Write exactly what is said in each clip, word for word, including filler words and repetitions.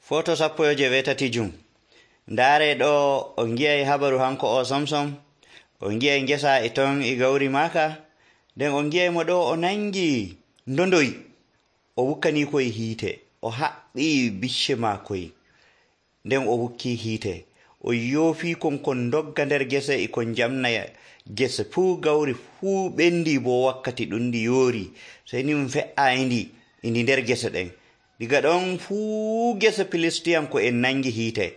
Foto sappo e jeweetati jum. Ndaare ɗo on gi'ay habaru hanko o Samson. On gi'ay ngesa e ton e gawri maaka. Nden on gi'ay mo ɗo o nangi ndondoy. O wukkani koye hiite. O haɓɓi bicce maakoy. Nden o wukki hiite. O yoofi kon kon dogga nder gese e kon jamna gese fuu gawri fuu ɓendi bo wakkati ɗum ndi yoori. Sey ni ɗum fe'aayi ndi ndi nder gese ɗen. Diga ɗon fuu gese Filistiyanko en nangi hiite.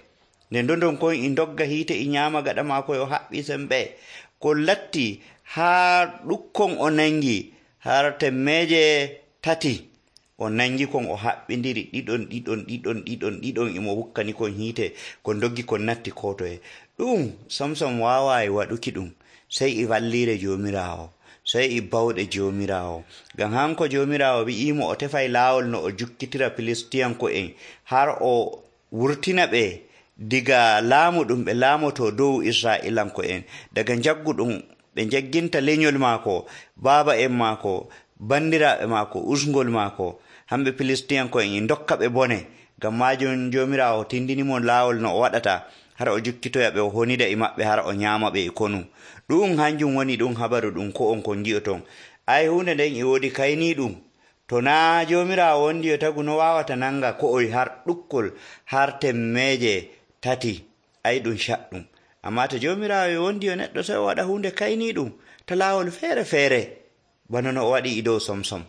Nde ndondon kon e dogga hiite e nyaama gaɗa maako o haɓɓi sembe. Ko latti haa ɗukkon o nangi har temmeje tati o nangi kon o haɓɓindiri ɗiɗon ɗiɗon ɗiɗon ɗiɗon ɗiɗon imo wukkani kon hiite kon doggi kon natti kotoye. Ɗum Samson waawaay waɗuki ɗum sey e walliire Joomiraawo, sey e bawɗe Joomiraawo. Ngam hanko Joomiraawo wi'imo o tefay laawol no o jukkitira Filistiyanko en har o wurtina ɓe diga laamu ɗum ɓe laamoto dow Israa'ilanko en, daga jaggu ɗum ɓe jagginta lenyol maako, baaba en maako, bandiraaɓe maako, usgol maako, hamɓe Filistiyanko en e dokka ɓe bone. Ngam maajum Joomiraawo tindinimo laawol no o waɗata har o jukkitoya ɓe o honida e maɓɓe har o nyaama ɓe e konu. Ɗum hanjum woni ɗum habaru ɗum ko on kon gi'oton. Ay hunde nden e woodi kayni ɗum. To naa Joomiraawo wondi yo tagu no waawata nanga ko'oy har ɗukkol har temmeje tati. Ay ɗum caɗɗum. Ammaa to Joomiraawo yo wondi yo neɗɗo sey o waɗa hunde kayni ɗum ta laawol feere feere bana no o waɗi e dow Samson.